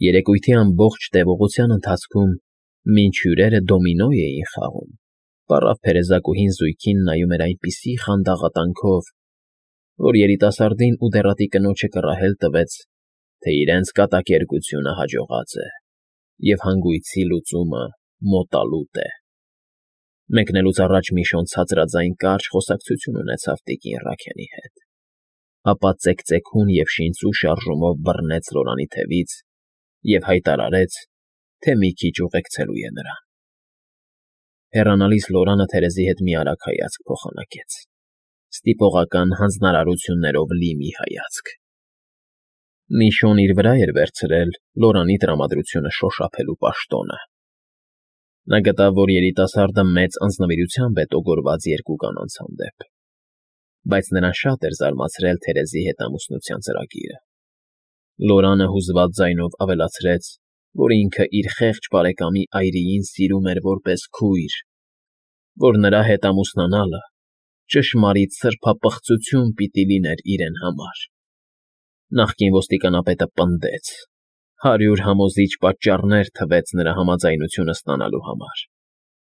Երեկույթի ամբողջ տևողության ընթացքում, մինչ հյուրերը դոմինո էին խաղում, պառավ փերեզակուհին զույգին նայում էր այնպիսի խանդաղատանքով, որ երիտասարդին ու դեռատի կնոջը կռահել տվեց, թե իրենց կատակերգությունը հաջողած է, և հանգույցի լուծումը մոտալուտ է։ Մեկնելուց առաջ Միշոն ցածրաձայն կարճ խոսակցություն ունեցավ տիկին Ռաքենի հետ, ապա ծեքծեքուն և շինծու շարժումով բռնեց Լորանի թևից և հայտարարեց, թե մի քիչ ուղեկցելու է նրան։ Հեռանալիս Լորանը Թերեզի հետ մի արագ հայացք փոխանակեց, ստիպողական հանձնարարություններով լի մի հայացք։ Միշոն իր վրա էր վերցրել Լորանի տրամադրությունը շոշափելու պաշտոնը։ Նա գտավ, որ երիտասարդը մեծ անձնվիրությամբ է տոգորված երկու կանանց հանդեպ, բայց նրան շատ էր զարմացրել Թերեզի հետ ամուսնության ծրագիրը։ Լորանը հուզված ձայնով ավելացրեց, որ ինքը իր խեղճ բարեկամի այրիին սիրում էր որպես քույր, որ նրա հետ ամուսնանալը ճշմարիտ սրբապղծություն պիտի լիներ իրեն համար։ Նախկին ոստիկանապետը պնդեց, 100 համոզիչ պատճառներ թվեց նրա համաձայնությունը ստանալու համար։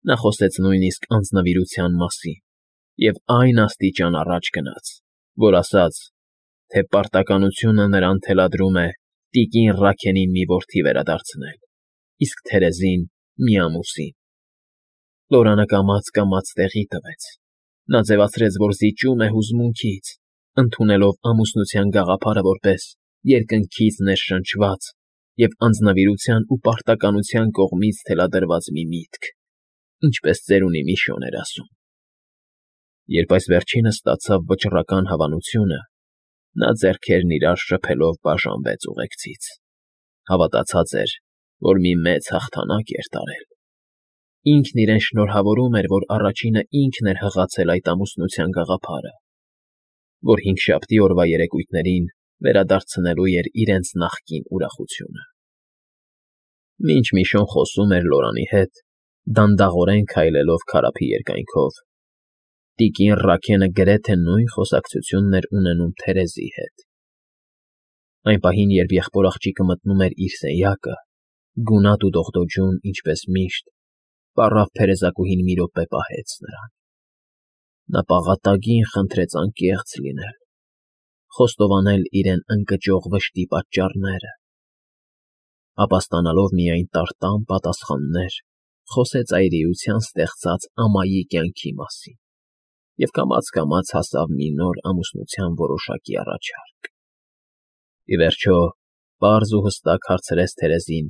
Նա խոսեց նույնիսկ անձնվիրության մասին և այն աստիճան առաջ գնաց, որ ասաց, թե պարտականությունը նրան թելադրում է տիկին Ռաքենին մի որդի վերադարձնել, իսկ Թերեզին մի ամուսին։ Լորանը կամաց տեղի տվեց։ Նա ձևացրեց, որ զիջում է հուզմունքից, ընդունելով ամուսնության գաղափարը որպես երկնքից ներշնչված և անձնվիրության ու պարտականության կողմից թելադրված մի միտք, ինչպես ծերունի Միշոն էր ասում։ Երբ այս վերջինը ստացավ վճռական հավանությունը, նա ձեռքերն իրար շփելով բաժանվեց ուղեկցից։ Հավատացած էր, որ մի մեծ հաղթանակ էր տարել։ Ինքն իրեն շնորհավորում էր, որ առաջինը ինքն էր հղացել այդ ամուսնության գաղափարը, որ հինգշաբթի օրվա երեկույթներին վերադարձնելու էր իրենց նախկին ուրախությունը։ Մինչ Միշոն խոսում էր Լորանի հետ, դանդաղորեն քայլելով քարափի երկայնքով, տիկին Ռաքենը գրեթե նույն խոսակցությունն էր ունենում Թերեզի հետ։ Այն պահին, երբ եղբոր աղջիկը մտնում էր իր սենյակը, գունատ ու դողդոջուն, ինչպես միշտ, պառավ փերեզակուհին մի րոպե պահեց նրան։ Նա պաղատագին խնդրեց անկեղծ լինել, խոստովանել իրեն ընկճող վշտի պատճառները, ապա ստանալով միայն տարտամ պատասխաններ, խոսեց այրիության ստեղծած ամայի կյանքի մասին և կամաց հասավ մի նոր ամուսնության որոշակի առաջարկ։ Ի վերջո, պարզ ու հստակ հարցրեց Թերեզին,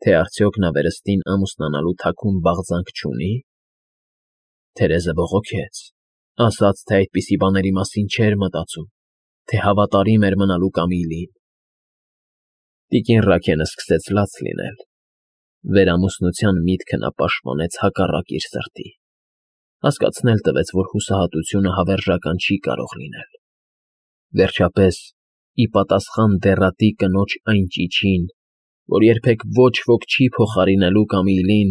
թե արդյոք նա վերստին ամուսնանալու թաքուն բաղձանք չունի։ Թերեզը բողոքեց, ասաց, թե այդպիսի բաների մասին չէր մտածում, թե հավատարիմ էր մնալու Կամիլին։ Տիկին Ռաքենը սկսեց լաց լինել։ Վերամուսնության միտքը նա պաշտպանեց հակառակ իր սրտի։ Հասկացնել տվեց, որ հուսահատությունը հավերժական չի կարող լինել։ Վերջապես, ի պատասխան դեռատի կնոջ այն ճիչին, որ երբեք ոչ ոք չի փոխարինելու Կամիլին,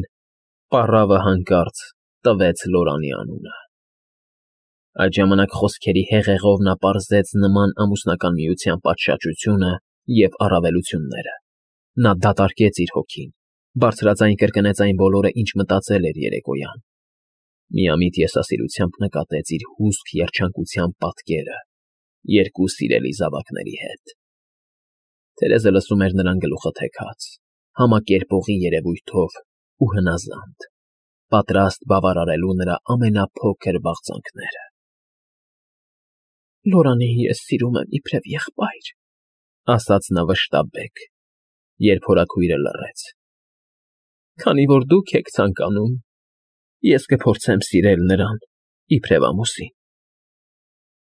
պառավը հանկարծ տվեց Լորանի անունը։ Այդ ժամանակ խոսքերի հեղեղով նա պարզեց նման ամուսնական միության պատշաճությունը և առավելությունները։ Նա դատարկեց իր հոգին, բարձրաձայն կրկնեց այն բոլորը, ինչ մտածել էր երեկոյան։ Միամիտ եսասիրությամբ նկատեց իր հուսք երջանկության պատկերը երկու սիրելի զավակների հետ։ Թերեզը լսում էր նրան գլուխը թեքած, համակերպողի երևույթով ու հնազանդ, պատրաստ բավարարելու նրա ամենափոքր բաղձանքները։ «Լորանին ես սիրում եմ իբրև եղբայր», ասաց նա վշտաբեկ, երբ հորաքույրը լռեց։ «Քանի որ դուք եք ցանկանում, ես կփորձեմ սիրել նրան իբրև ամուսին։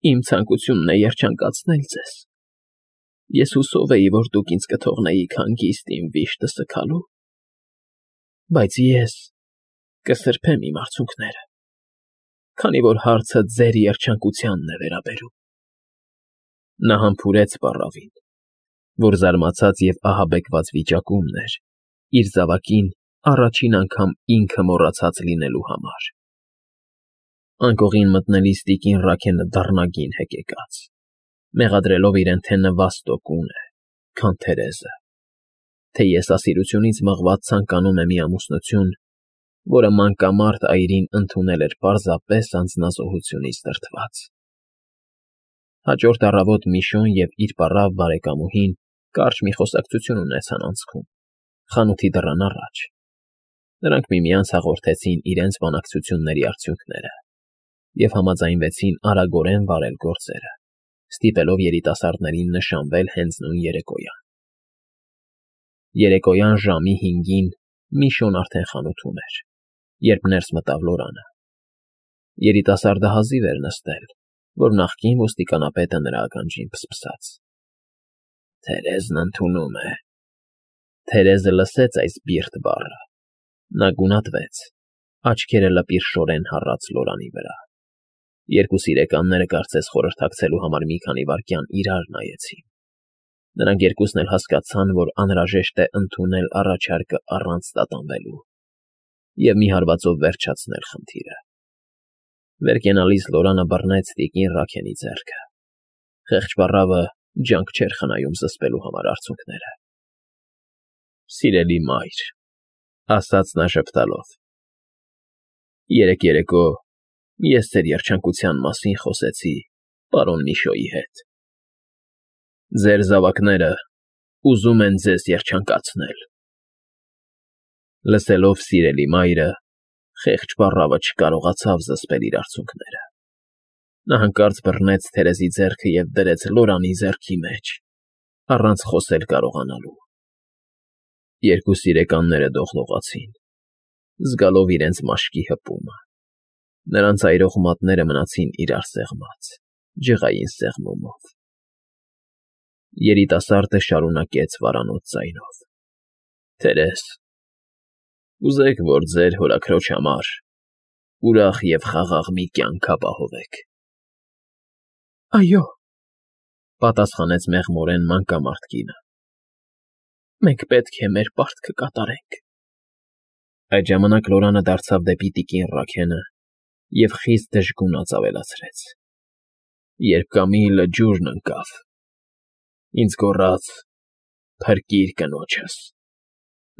Իմ ցանկությունն է երջանկացնել ձեզ։ Ես հուսով էի, որ դուք ինձ կթողնեիք հանգիստ իմ վիշտը սգալու, բայց ես կսրբեմ իմ արցունքները, քանի որ հարցը ձեր երջանկությանն է վերաբերում»։ Նա համբուրեց պառավին, որ զարմացած և ահաբեկված վիճակումն էր, իր զավակին առաջին անգամ ինքը մոռացած լինելու համար։ Անկողին մտնելիս տիկին Ռաքենը դառնագին հեկեկաց, մեղադրելով իրեն, թե նվաստո կուն է, քան Թերեզը, թե եսասիրությունից մղված ցանկանում է մի ամուսնություն, որը մանկամարտ այրին ընդունել էր պարզապես անձնազոհությունից դրդված։ Հաջորդ առավոտ Միշոն և իր պառավ բարեկամուհին կարճ մի խոսակցություն ունեցան անցքում, խանութի դռան առաջ։ Նրանք միմյանց հաղորդեցին իրենց բանակցությունների արդյունքները և համաձայնվեցին արագորեն վարել գործերը, ստիպելով երիտասարդներին նշանվել հենց նույն երեկոյան։ Երեկոյան ժամի 5-ին Միշոն արդեն խանութում էր, երբ ներս մտավ Լորանը։ Երիտասարդը հազիվ էր նստել, որ նախկին ոստիկանապետը նրա ականջին փսփսաց. «Թերեզն ընդունում է»։ Թերեզը լսեց այս բիրտ բառը։ Նա գունատվեց, աչքերը լպիրշորեն հառաց Լորանի վրա։ Երկու սիրեկանները կարծես խորհրդակցելու համար մի քանի վայրկյան իրար նայեցին։ Նրանք երկուսն էլ հասկացան, որ անհրաժեշտ է ընդունել առաջարկը առանց տատանվելու և մի հարվածով վերջացնել խնդիրը։ Վեր կենալիս Լորանը բռնեց տիկին Ռաքենի ձեռքը։ Խեղճ պառավը ջանք չէր խնայում զսպելու համար արցունքները։ «Սիրելի մայր», ասաց նա ժպտալով, «երեկ երեկո ես ձեր երջանկության մասին խոսեցի պարոն Միշոյի հետ։ Ձեր զավակները ուզում են ձեզ երջանկացնել»։ Լսելով «սիրելի մայրը», խեղճ պառավը չկարողացավ զսպել իր արցունքները։ Նա հանկարծ բռնեց Թերեզի ձեռքը և դրեց Լորանի ձեռքի մեջ, առանց խոսել կարողանալու։ Երկու սիրեկանները դողդողացին, զգալով իրենց մաշկի հպումը։ Նրանց այրող մատները մնացին իրար սեղմած, ջղային սեղմումով։ Երիտասարդը շարունակեց վարանոց ձայնով. «Թերեզ, կուզեք, որ ձեր հորաքրոջ համար ուրախ և խաղաղ մի կյանք ապահովեք»։ «Այո», պատասխանեց մեղմորեն մանկամարտ կինը, «մենք պետք է մեր պարտքը կատարենք»։ Այդ ժամանակ Լորանը դարձավ դեպի տիկին Ռաքենը և խիստ դժգունած ավելացրեց. «Երբ Կամիլը ջուրն ընկավ, ինձ գոռաց. «Փրկիր կնոջս,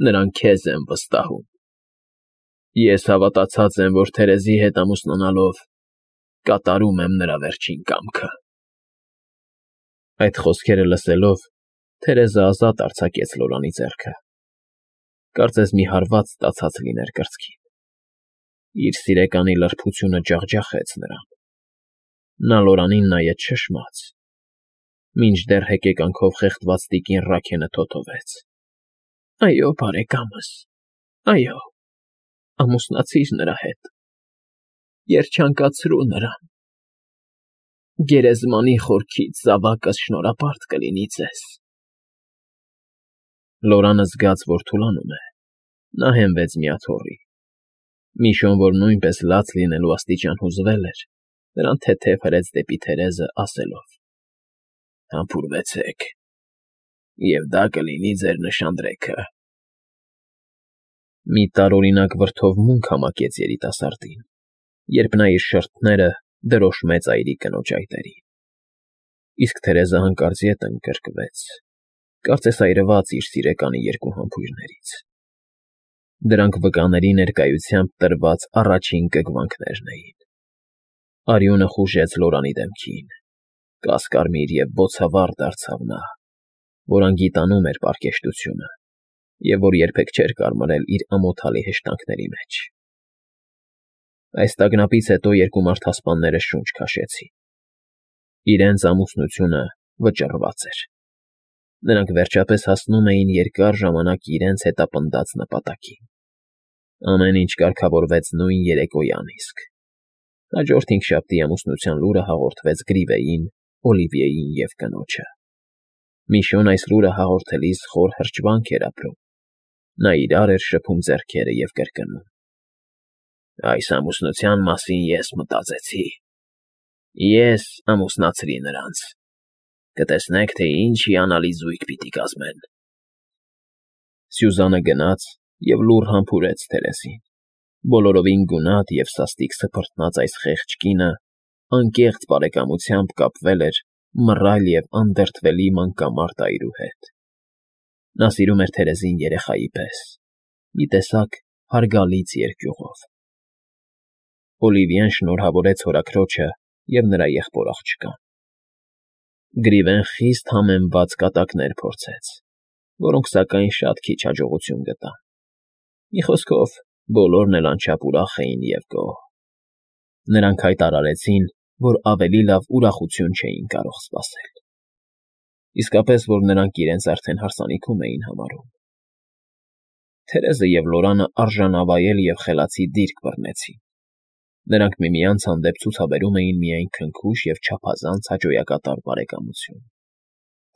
նրան քեզ եմ վստահում»։ Ես հավատացած եմ, որ Թերեզի հետ ամուսնանալով կատարում եմ նրա վերջին կամքը»։ Այդ խոսքերը լսելով, Թերեզը ազատ արձակեց Լորանի ձեռքը։ Կարծես մի հարված ստացած լիներ կրծքին։ Իր սիրեկանի լրբությունը ջախջախեց նրան։ Նա Լորանին նայեց շշմած, մինչդեռ հեկեկանքով խեղդված տիկին Ռաքենը թոթվեց. «Այո, բարեկամս, այո, ամուսնացիր նրա հետ, երջանկացրու նրան, գերեզմանի խորքից զավակս շնորհապարտ կլինի ձեզ»։ Լորանը զգաց, որ թուլանում է, նա հենվեց մի աթոռի։ Միշոն, որ նույնպես լաց լինելու աստիճան հուզվել էր, նրան թեթև հրեց դեպի Թերեզը, ասելով. «Համբուրվեցեք, և դա կլինի ձեր նշանдрեքը»։ Մի տարօրինակ վրդովմունք համակեց երիտասարդին, երբ նա իր շրթները դրոշմեց այրի կնոջ այտերին։ Իսկ Թերեզը հանկարծ ետ ընկրկվեց, կարծես այրված իր սիրեկանի երկու համբույրներից։ Դրանք վկաների ներկայությամբ տրված առաջին կգվանքներն էին։ Արյունը խուժեց Լորանի դեմքին, կասկարմիր և բոցավառ դարձավ նա, որ անգիտանում էր պարկեշտությունը և որ երբեք չէր կարմրել իր ամոթալի հեշտանքների մեջ։ Այս տագնապից հետո երկու մարդասպանները շունչ քաշեցին։ Իրենց ամուսնությունը վճռված էր։ Նրանք վերջապես հասնում էին երկար ժամանակ իրենց հետապնդած նպատակին։ Ամեն ինչ կարգավորվեց նույն երեկոյան իսկ։ Հաջորդ հինգշաբթի ամուսնության լուրը հաղորդվեց Գրիվեյին, Օլիվիեին և կնոջը։ Միշոն այս լուրը հաղորդելիս խոր հրճվանք էր ապրում։ Նա իրար էր շփում ձեռքերը և կրկնում. «Այս ամուսնության մասին ես մտածեցի։ Ես ամուսնացրի նրանց։ Կտեսնեք, թե ինչ հիանալի զույգ պիտի կազմեն»։ Սյուզանը գնաց և լուռ համբուրեց Թերեզին։ Բոլորովին գունատ և սաստիկ սփռտնած այս խեղճ կինը անկեղծ բարեկամությամբ կապվել էր մռայլ և անդրդվելի մանկամարտ այրու հետ։ Նա սիրում էր Թերեզին երեխայի պես, մի տեսակ հարգալից երկյուղով։ Օլիվիեն շնորհավորեց հորաքրոջը և նրա եղբոր աղջկան։ Գրիվեն խիստ համեմված կատակներ փորձեց, որոնք, սակայն, շատ քիչ հաջողություն գտան։ Մի խոսքով, բոլորն էլ անչափ ուրախ էին և գոհ։ Նրանք հայտարարեցին, որ ավելի լավ ուրախություն չէին կարող սպասել։ Իսկապես, որ նրանք իրենց արդեն հարսանիքում էին համարում։ Թերեզը և Լորանը արժանավայել և խելացի դիրք բռնեցին։ Նրանք միմյանց հանդեպ ցուցաբերում էին միայն քնքուշ և չափազանց հաճոյակատար բարեկամություն։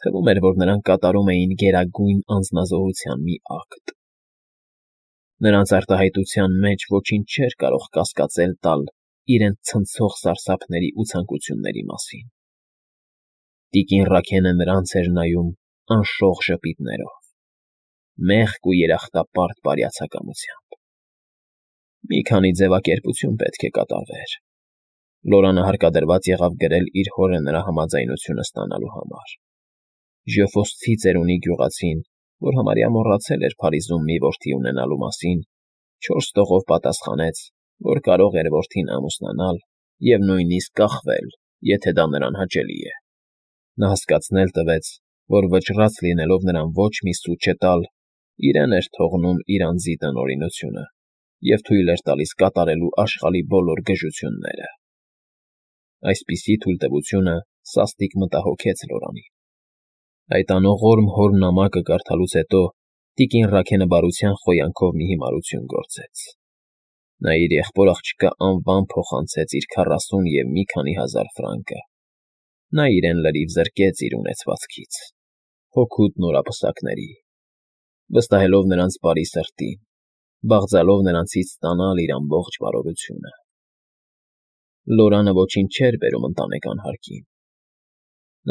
Թվում էր, որ նրանք կատարում էին գերագույն անձնազոհության մի ակտ։ Նրանց արտահայտության մեջ ոչինչ չէր կարող կասկածել տալ իրենց ցնցող սարսափների ու ցանկությունների մասին։ Տիկին Ռաքենը նրանց էր նայում անշող ժպիտներով, մեղք ու երախտապարտ բարյացակամությամբ։ Մի քանի ձևակերպություն պետք է կատարվեր։ Լորանը հարկադրված եղավ գրել իր հորը նրա համաձայնությունը ստանալու համար։ Ժյոֆոստի ծերունի գյուղացին, որ համարյա մոռացել էր Փարիզում մի որդի ունենալու մասին, 4 տողով պատասխանեց, որ կարող էր որդին ամուսնանալ և նույնիսկ կախվել, եթե դա նրան հաճելի է։ Նա հասկացնել տվեց, որ վճռած լինելով նրան ոչ մի սուտ չտալ, իրեն էր թողնում իր անձի տնօրինությունը և թույլ էր տալիս կատարելու աշխարհի բոլոր գժությունները։ Այսպիսի թույլտվությունը սաստիկ մտահոգեց Լորանին։ Այդ անողորմ հոր նամակը կարդալուց հետո տիկին Ռաքենը բարության խոյանքով մի հիմարություն գործեց։ Նա իր եղբոր աղջկա անվամբ փոխանցեց իր 40 և մի քանի հազար ֆրանկը։ Նա իրեն լրիվ զրկեց իր ունեցվածքից, հօգուտ նորապսակների, վստահելով նրանց բարի սրտին, բաղձալով նրանցից ստանալ իր ամբողջ բարօրությունը։ Լորանը ոչինչ չէր բերում ընտանեկան հարկին։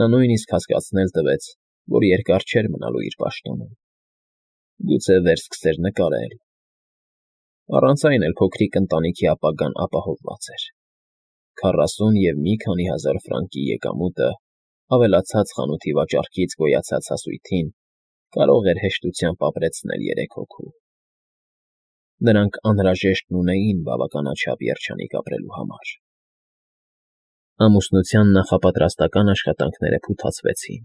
Նա նույնիսկ հասկացնել տվեց, որ երկար չէր մնալու իր պաշտոնում։ Գուցե վերսկսեր նկարել։ Առանց այն էլ փոքրիկ ընտանիքի ապագան ապահովված էր։ 40 և մի քանի հազար ֆրանկի եկամուտը, ավելացած խանութի վաճառքից գոյացած հասույթին, կարող էր հեշտությամբ ապրեցնել 3 հոգու։ Նրանք անհրաժեշտն ունեին բավականաչափ երջանիկ ապրելու համար։ Ամուսնության նախապատրաստական աշխատանքները փութացվեցին։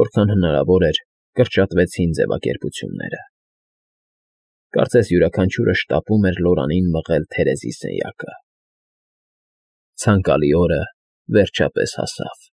Որքան հնարավոր էր, կրճատվեցին ձևակերպությունները։ Կարծես յուրաքանչյուրը շտապում էր Լորանին մղել Թերեզի սենյակը։ Ցանկալի օրը վերջապես հասավ։